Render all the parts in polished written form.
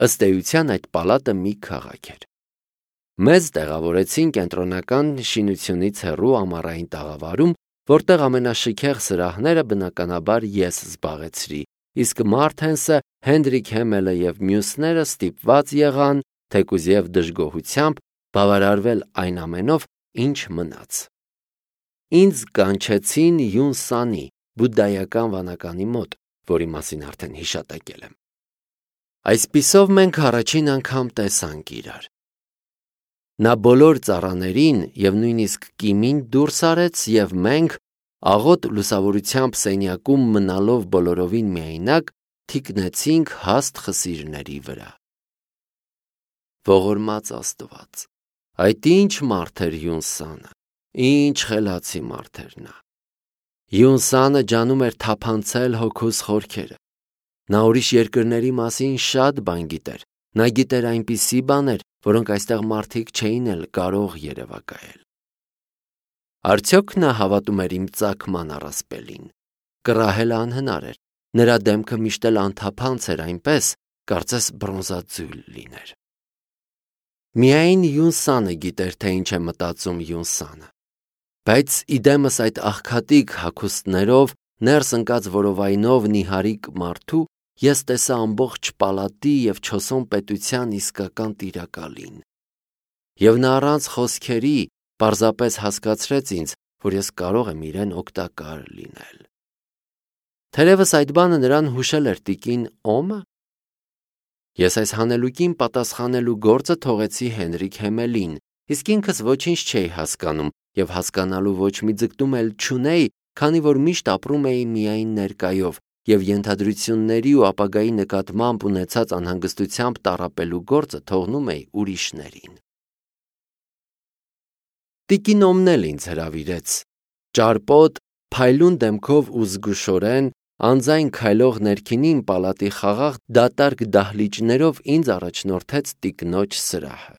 Ըստ էության այդ պալատը մի քաղաք էր։ Մեզ տեղավորեցին կենտրոնական շինությունից հեռու ամառային տաղավարում, որտեղ ամենաշքեղ սրահները բնականաբար ես զբաղեցրի, իսկ Մարտենսը, Հենրիկ Հեմելը և մյուսները ստիպված եղան, թեկուզ և դժգոհությամբ, բավարարվել այն ամենով, ինչ մնաց։ Ինձ կանչեցին Յունսանի բուդդայական վանականի մոտ, որի մասին արդեն հիշատակել եմ։ Այսպիսով մենք առաջին անգամ տեսանք իրար։ Նա բոլոր ծառաներին և նույնիսկ Կիմին դուրս արեց, և մենք, աղոտ լուսավորությամբ սենյակում մնալով բոլորովին միայնակ, թիկնեցինք հաստ խսիրների վրա։ Ողորմած Աստված, այդ ինչ մարդ էր Յունսանը, ինչ խելացի մարդ էր նա։ Յունսանը ջանում էր թափանցել հոգուս խորքերը։ Նա ուրիշ երկրների մասին շատ բան գիտեր։ Նա գիտեր այնպիսի բաներ, որոնք այստեղ մարդիկ չէին էլ կարող երևակայել։ Արդյոք նա հավատում էր իմ ծագման առասպելին։ Կռահելը անհնար էր։ Նրա դեմքը միշտ էլ անթափանց էր այնպես, կարծես բրոնզաձույլ լիներ։ Միայն Յունսանը գիտեր, թե ինչ է մտածում Յունսանը։ Բայց իդեմս այդ աղքատիկ հագուստներով, ներս ընկած որովայնով նիհարիկ մարդու ես տեսա ամբողջ պալատի և չոսոն պետության իսկական տիրակալին։ Եվ նա առանց խոսքերի պարզապես հասկացրեց ինձ, որ ես կարող եմ իրեն օգտակար լինել։ Թերևս այդ բանը նրան հուշել էր տիկին Օմը։ Ես այս հանելուկին պատասխանելու գործը թողեցի Հենրիկ Հեմելին, իսկ ինքս ոչինչ չէի հասկանում և հասկանալու ոչ մի ձգտում էլ չունեի, քանի որ միշտ ապրում էի միայն ներկայով և ենթադրությունների ու ապագայի նկատմամբ ունեցած անհանգստությամբ տառապելու գործը թողնում էի ուրիշներին։ Տիկին Օմն էլ ինձ հրավիրեց։ Ճարպոտ, փայլուն դեմքով ու զգուշորեն, անձայն քայլող ներքինին պալատի խաղաղ դատարկ դահլիճներով ինձ առաջնորդեց տիկնոջ սրահը։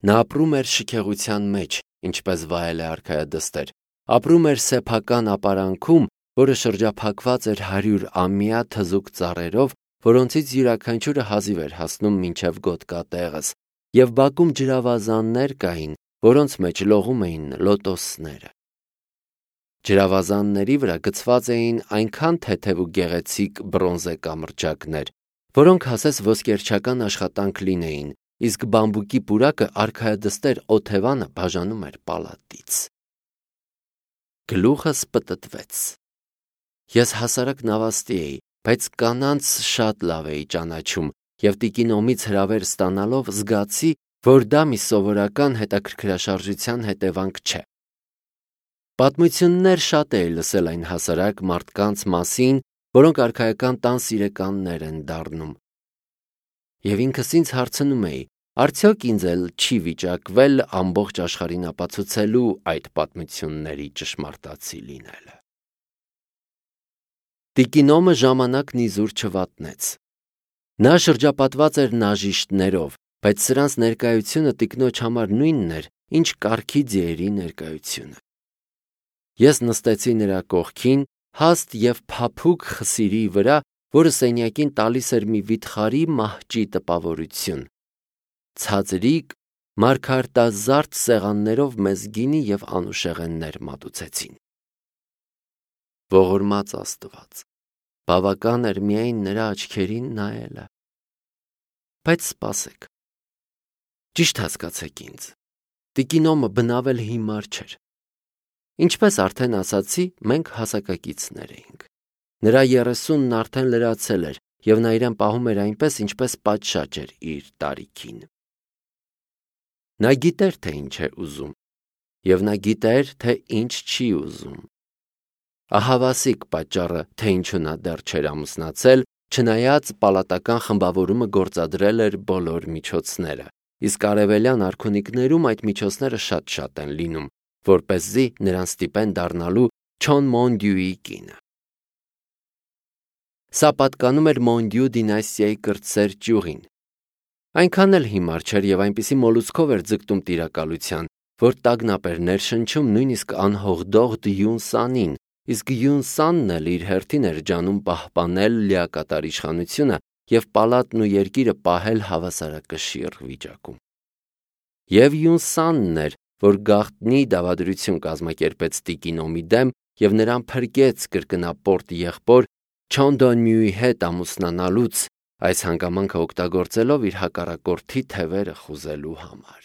Նա ապրում էր շքեղության մեջ, ինչպես վայել է արքայադստեր, ապրում էր սեփական ապարանքում, որը շրջափակված էր 100-ամյա թզուկ ծառերով, որոնցից յուրաքանչյուրը հազիվ էր հասնում մինչև գոտկատեղս, և բակում ջրավազաններ կային, որոնց մեջ լողում էին լոտոսները։ Ջրավազանների վրա գցված էին այնքան թեթև ու գեղեցիկ բրոնզե կամրջակներ, որոնք ասես ոսկերչական աշխատանք լինեին, իսկ բամբուկի պուրակը արքայադստեր օթևանը բաժանում էր պալատից։ Գլուխս պտտվեց։ Ես հասարակ նավաստի էի, բայց կանանց շատ լավ էի ճանաչում և տիկին Օմից հրավեր ստանալով զգացի, որ դա մի սովորական հետաքրքրաշարժության հետևանք չէ։ Պատմություններ շատ էի լսել այն հասարակ մարդկանց մասին, որոնք արքայական տան սիրեկաններ են դառնում։ Եվ ինքս ինձ հարցնում էի, արդյոք ինձ էլ չի վիճակվել ամբողջ աշխարհին ապացուցելու այդ պատմությունների ճշմարտացի լինելը։ Տիկին Օմը ժամանակն իզուր չվատնեց։ Նա շրջապատված էր նաժիշտներով, բայց սրանց ներկայությունը տիկնոջ համար նույնն էր, ինչ կառքի ձիերի ներկայությունը։ Ես նստեցի նրա կողքին, հաստ և փափուկ խսիրի վրա, որը սենյակին տալիս էր մի վիթխարի մահճի տպավորություն։ Ցածրիկ, մարգարտազարդ սեղաններով մեզ գինի և անուշեղեններ մատուցեցին։ Ողորմած Աստված, բավական էր միայն նրա աչքերին նայելը։ Բայց սպասեք։ Ճիշտ հասկացեք ինձ։ Տիկին Օմը բնավ էլ հիմար չէր։ Ինչպես արդեն ասացի, մենք հասակակիցներ էինք։ Նրա 30-ն արդեն լրացել էր, և նա իրեն պահում էր այնպես, ինչպես պատշաճ էր իր տարիքին։ Նա գիտեր, թե ինչ է ուզում, և նա գիտեր, թե ինչ չի ուզում։ Ահավասիկ պատճառը, թե ինչու նա դեռ չէր ամուսնացել, չնայած պալատական խմբավորումը գործադրել էր բոլոր միջոցները, իսկ արևելյան արքունիքներում այդ միջոցները շատ են լինում, որպեսզի նրան ստիպեն դառնալու Չոն Մոնդյուի կինը։ Սա պատկանում էր Մոնդյու դինաստիայի կրտսեր ճյուղին։ Այնքան էլ հիմար չէր և այնպիսի մոլուցքով էր ձգտում տիրակալության, որ տագնապ էր ներշնչում նույնիսկ անհողդողդ Յունսանին, իսկ Յունսանն էլ իր հերթին էր ջանում պահպանել լիակատար իշխանությունը և պալատն ու երկիրը պահել հավասարակշիռ վիճակում։ Եվ Յունսանն էր, որ գաղտնի դավադրություն կազմակերպեց Տիկինոմի դեմ և նրան փրկեց կրկնապորտ եղբոր Չոնդոնմյուի հետ ամուսնանալուց, այս հանգամանքը օգտագործելով իր հակառակորդի թևերը խուզելու համար։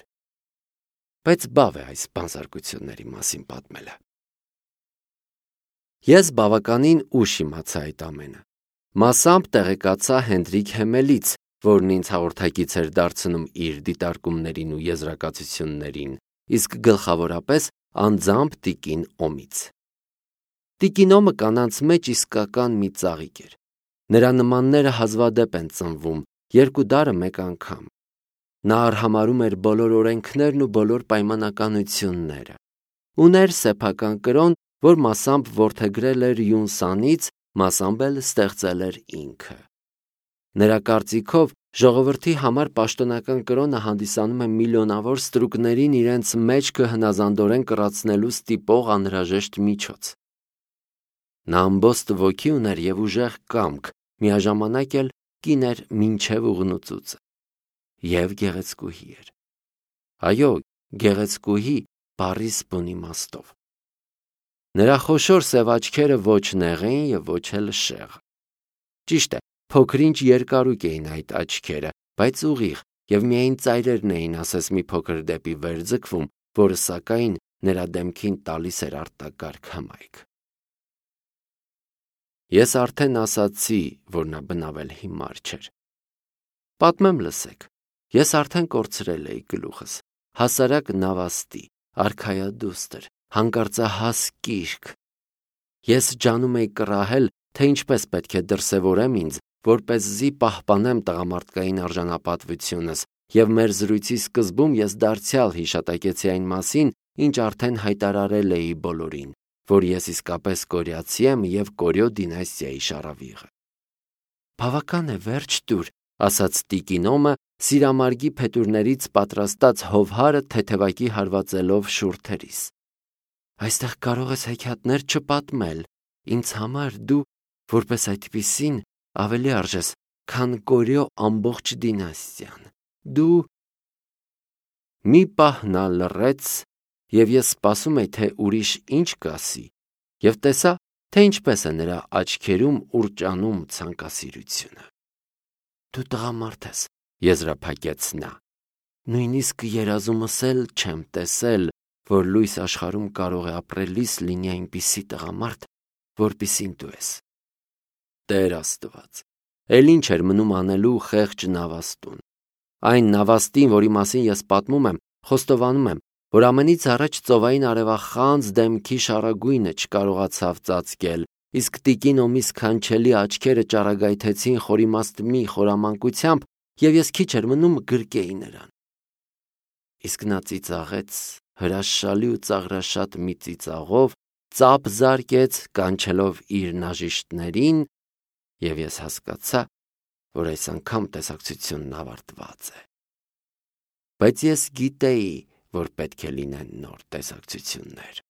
Բայց բավ է այս բանսարկությունների մասին պատմելը։ Ես բավականին ուշ իմացա այդ ամենը։ Մասամբ տեղեկացա Հենրիկ Հեմելից, որն ինձ հաղորդակից էր դարձնում իր դիտարկումներին ու եզրակացություններին, իսկ գլխավորապես անձամբ տիկին Օմից։ Տիկին Օմը կանանց մեջ իսկական մի ծաղիկ էր։ Նրա նմանները հազվադեպ են ծնվում, երկու դարը մեկ անգամ։ Նա արհամարհում էր բոլոր օրենքներն ու բոլոր պայմանականությունները։ Ուներ սեփական կրոն, որ մասամբ որդեգրել էր Յունսանից, մասամբ էլ ստեղծել էր ինքը։ Նրա կարծիքով ժողովրդի համար պաշտոնական կրոնը հանդիսանում է միլիոնավոր ստրուկներին իրենց մեջքը հնազանդորեն կռացնելու ստիպող անհրաժեշտ միջոց։ Նա ամբոստ ոգի ուներ և ուժեղ կամք, միաժամանակ էլ կին էր մինչև ուղնուծուծը և գեղեցկուհի էր։ Այո, գեղեցկուհի բառի բուն իմաստով։ Նրա խոշոր սև աչքերը ոչ նեղ էին և ոչ էլ շեղ։ Ճիշտ է, փոքր-ինչ երկարույկ էին այդ աչքերը, բայց ուղիղ, և միայն ծայրերն էին ասես մի փոքր դեպի վեր ձգվում, որը սակայն նրա դեմքին տալիս էր արտակարգ հմայք։ Ես արդեն ասացի, որ նա բնավել հիմար չէր։ Պատմեմ լսեք, ես արդեն կորցրել էի գլուխս, հասարակ նավաստի, արքայադուստր, հանկարծահաս կիրք։ Ես ջանում էի կռահել, թե ինչպես պետք է դրսևորեմ ինձ, որպեսզի պահպանեմ տղամարդկային արժանապատվությունս, և մեր զրույցի սկզբում ես դարձյալ հիշատակեցի այն մասին, ինչ արդեն հայտարարել էի բոլորին, որ ես իսկապես կորյացի եմ և Կորյո դինաստիայի շառավիղը։ Բավական է, վերջ տուր, ասաց տիկին Օմը, սիրամարգի փետուրներից պատրաստած հովհարը թեթևակի հարվածելով շուրթերիս։ Այստեղ կարող ես հեքիաթներ չպատմել, ինձ համար դու, որպես այդպիսին, ավելի արժես, քան Կորյո ամբողջ դինաստիան։ Դու… Մի պահ նա լռեց, և ես սպասում էի, թե ուրիշ ինչ կասի, և տեսա, թե ինչպես է նրա աչքերում ուռճանում ցանկասիրությունը։ Դու տղամարդ ես, եզրափակեց նա։ Նույնիսկ երազումս էլ չեմ տեսել, որ լույս աշխարհում կարող է ապրելիս լինի այնպիսի տղամարդ, որպիսին դու ես։ Տեր Աստված, էլ ինչ էր մնում անելու խեղճ նավաստուն։ Այն նավաստին, որի մասին ես պատմում եմ, խոստովանում եմ, որ ամենից առաջ ծովային արևախանձ դեմքի շառագույնը չկարողացավ ծածկել, իսկ տիկին Օմի սքանչելի աչքերը ճառագայթեցին խորիմաստ մի խորամանկությամբ, և ես քիչ էր մնում գրկեի նրան։ Իսկ նա ծիծաղեց հրաշալի ու ծաղրաշատ մի ծիծաղով, ծափ զարկեց, կանչելով իր նաժիշտներին, և ես հասկացա, որ այս անգամ տեսակցությունն ավարտված է։ Բայց ես գիտեի, որ պետք է լինեն նոր տեսակցություններ։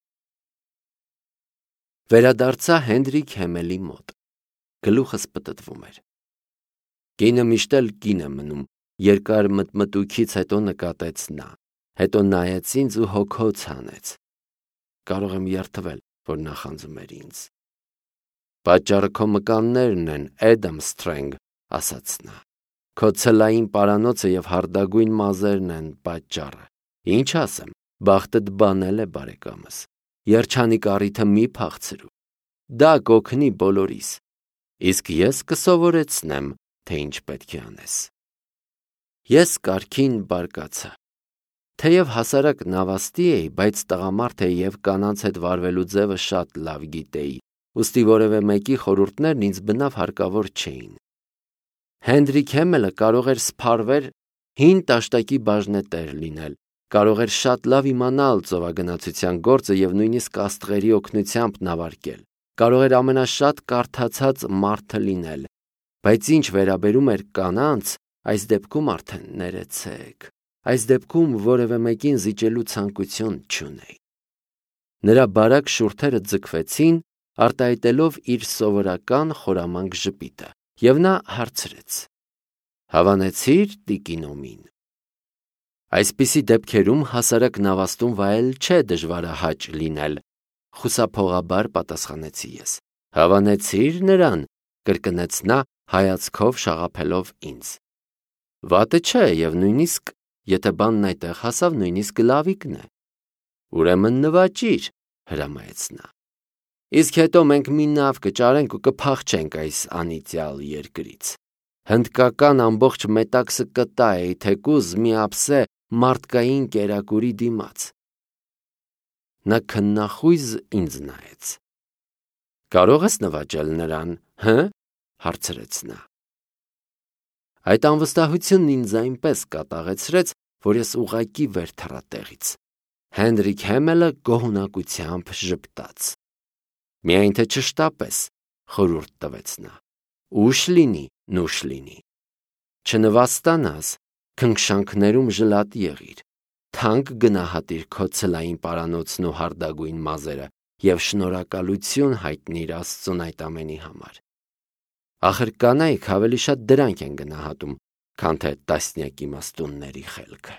Վերադարձա Հենրիկ Հեմելի մոտ։ Գլուխս պտտվում էր։ Կինը միշտ էլ կին է մնում, երկար մտմտույքից հետո նկատեց նա, հետո նայեց ինձ ու հոգոց հանեց։ Կարող եմ երդվել, որ նախանձում էր ինձ։ Պատճառը քո մկաններն են, Էդամ Սթրենգ, ասաց նա։ Քո ցլային պարանոցը և հարդագույն մազերն են պատճառը։ Ինչ ասեմ, բախտդ բանել է, բարեկամս։ Երջանիկ առիթը մի փախցրու։ Դա կօգնի բոլորիս։ Իսկ ես կսովորեցնեմ, թե ինչ պետք է անես։ Ես կարգին բարկացա։ Թեև հասարակ նավաստի էի, բայց տղամարդ էի և կանանց հետ վարվելու ձևը շատ լավ գիտեի, ուստի որևէ մեկի խորհուրդներն ինձ բնավ հարկավոր չէին։ Հենրիկ Հեմելը կարող էր սփառվեր հին տաշտակի բաժնետեր լինել, կարող էր շատ լավ իմանալ ծովագնացության գործը և նույնիսկ աստղերի օգնությամբ նավարկել, կարող էր ամենաշատ կարդացած մարդը լինել, բայց ինչ վերաբերում էր կանանց, այս դեպքում արդեն ներեցեք, այս դեպքում որևէ մեկին զիջելու ցանկություն չունեի։ Նրա բարակ շուրթերը ձգվեցին, արտահայտելով իր սովորական խորամանկ ժպիտը, և նա հարցրեց. Հավանեցիր տիկինոմին։ Այսպիսի դեպքերում հասարակ նավաստուն վայել չէ դժվարահաճ լինել, խուսափողաբար պատասխանեցի ես։ Հավանեցիր նրան, կրկնեց նա հայացքով շաղափելով ինձ։ Վատը չէ և նույնիսկ, եթե բանն այդտեղ հասավ, նույնիսկ լավիկն է։ Ուրեմն նվաճիր, հրամայեց նա։ Իսկ հետո մենք մի նավ կճարենք ու կփախչենք այս անիծյալ երկրից։ Հնդկական ամբողջ մետաքսը կտայի, թեկուզ մի ափսե մարդկային կերակուրի դիմաց։ Նա քննախույզ ինձ նայեց։ Կարող ես նվաճել նրան, հը՞, հարցրեց նա։ Այդ անվստահությունն ինձ այնպես կատաղեցրեց, որ ես ուղղակի վեր թռա տեղից։ Հենրիկ Հեմելը գոհունակությամբ ժպտաց։ Միայն թե չշտապես, խորհուրդ տվեց նա։ Ուշ լինի, նուշ լինի։ Չնվաստանաս, քնքշանքներում ժլատ եղիր, թանկ գնահատիր քո ցլային պարանոցն ու հարդագույն մազերը և շնորհակալություն հայտնիր Աստծուն այդ ամենի համար։ Ախր կանայք ավելի շատ դրանք են գնահատում, քան թե տասնյակ իմաստունների խելքը։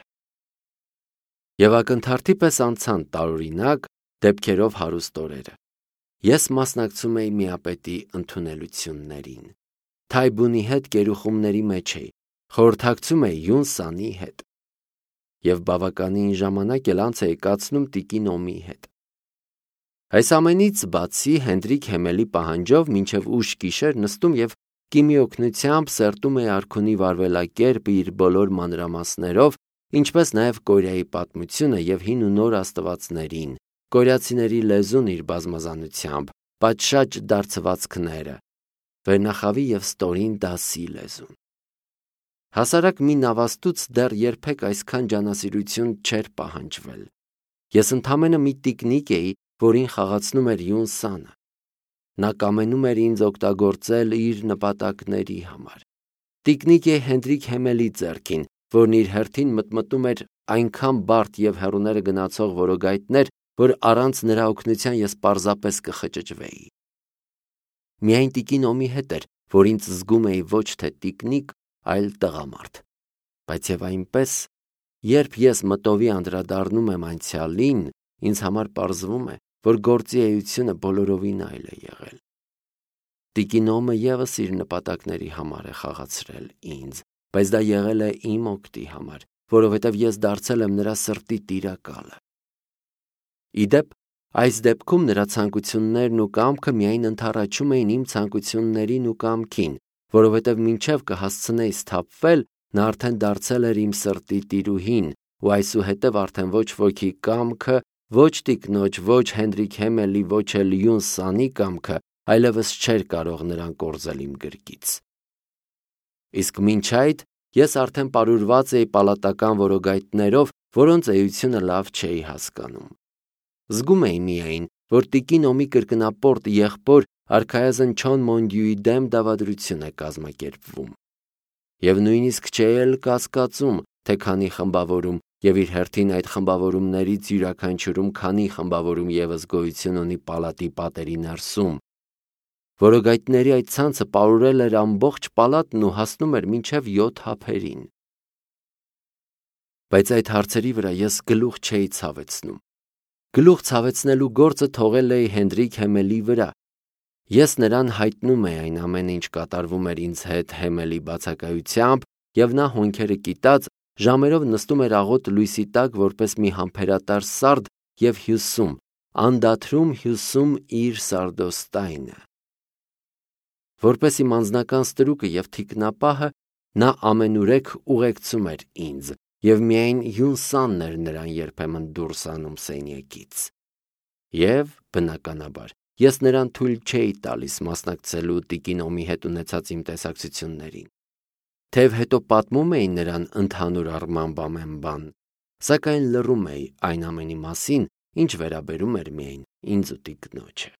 Եվ ակնթարթի պես անցան տարօրինակ դեպքերով հարուստ օրերը։ Ես մասնակցում էի միապետի ընդունելություններին։ Թայբունի հետ գերուխումների մեջ էի, խորհրդակցում էի Յունսանի հետ։ Եվ բավականին ժամանակ էլ անց էի կացնում տիկինոմի հետ։ Այս ամենից բացի Հենրիկ Հեմելի պահանջով մինչև ուշ գիշեր նստում և Կիմի օգնությամբ սերտում էի արքունի վարվելակերպը իր բոլոր մանրամասներով, ինչպես նաև Կորեայի պատմությունը և հին ու նոր աստվածներին, կորեացիների լեզուն իր բազմազանությամբ, պատշաճ դարձվածքները, վերնախավի և ստորին դասի լեզուն։ Հասարակ մի նավաստուց դեռ երբեք այսքան ջանասիրություն չէր պահանջվել։ Ես ընդամենը մի տիկնիկ էի, որին խաղացնում էր Յունսանը։ Նա կամենում էր ինձ օգտագործել իր նպատակների համար։ Տիկնիկ է Հենրիկ Հեմելի ձեռքին, որն իր հերթին մտմտում էր այնքան բարդ և հեռուները գնացող որոգայթներ, որ առանց նրա օգնության ես պարզապես կխճճվեի։ Միայն տիկինոմի հետ էր, որ ինձ զգում էի ոչ թե տիկնիկ, այլ տղամարդ։ Բայց և այնպես, երբ ես մտովի անդրադառնում եմ անցյալին, ինձ համար պարզվում է, որ գործի էությունը բոլորովին այլ է եղել։ Տիկինոմը ևս իր նպատակների համար է խաղացրել ինձ, բայց դա եղել է իմ օգտի համար, որովհետև ես դարձել եմ նրա սրտի տիրակալը։ Ի դեպ, այս դեպքում նրա ցանկություններն ու կամքը միայն ընդառաջում էին իմ ցանկություններին ու կամքին, որովհետև մինչև կհասցնեի սթափվել, նա արդեն դարձել էր իմ սրտի տիրուհին, ու այսուհետև արդեն ոչ ոքի կամքը, ոչ տիկնոջ, ոչ Հենրիկ Հեմելի, ոչ էլ Յունսանի կամքը այլևս չէր կարող նրան կորզել իմ գրկից։ Իսկ մինչ այդ ես արդեն պարուրված էի պալատական որոգայթներով, որոնց էությունը լավ չէի հասկանում։ Զգում էի միայն, որ տիկինոմի կրկնապորտ եղբոր արքայազն Չոն Մոնդյուի դեմ դավադրություն է կազմակերպվում։ Եվ նույնիսկ չէի էլ կասկածում, թե քանի խմբավորում և իր հերթին այդ խմբավորումներից յուրաքանչյուրում քանի խմբավորում ևս գոյություն ունի պալատի պատերի ներսում։ Որոգայթների այդ ցանցը պարուրել էր ամբողջ պալատն ու հասնում էր մինչև 7 ափերին։ Բայց այդ հարցերի վրա ես գլուխ չէի ցավեցնում։ Գլուխ ցավեցնելու գործը թողել էի Հենրիկ Հեմելի վրա։ Ես նրան հայտնում էի այն ամենը, ինչ կատարվում էր ինձ հետ Հեմելի բացակայությամբ, և նա հոնքերը կիտած ժամերով նստում էր աղոտ լույսի տակ որպես մի համբերատար սարդ և հյուսում, անդադրում հյուսում իր սարդոստայնը։ Որպես իմ անձնական ստրուկը և թիկնապահը նա ամենուրեք ուղեկցում էր ինձ, և միայն Յունսանն էր նրան երբեմն դուրս անում սենյակից։ Եվ, բնականաբար, ես նրան թույլ չէի տալիս մասնակցելու տիկինոմի հետ ունեցած իմ տեսակցություններին։ Թեև հետո պատմում էի նրան ընդհանուր առմամբ ամեն բան, սակայն լռում էի այն ամենի մասին, ինչ վերաբերում էր միայն ինձ ու տիկնոջը։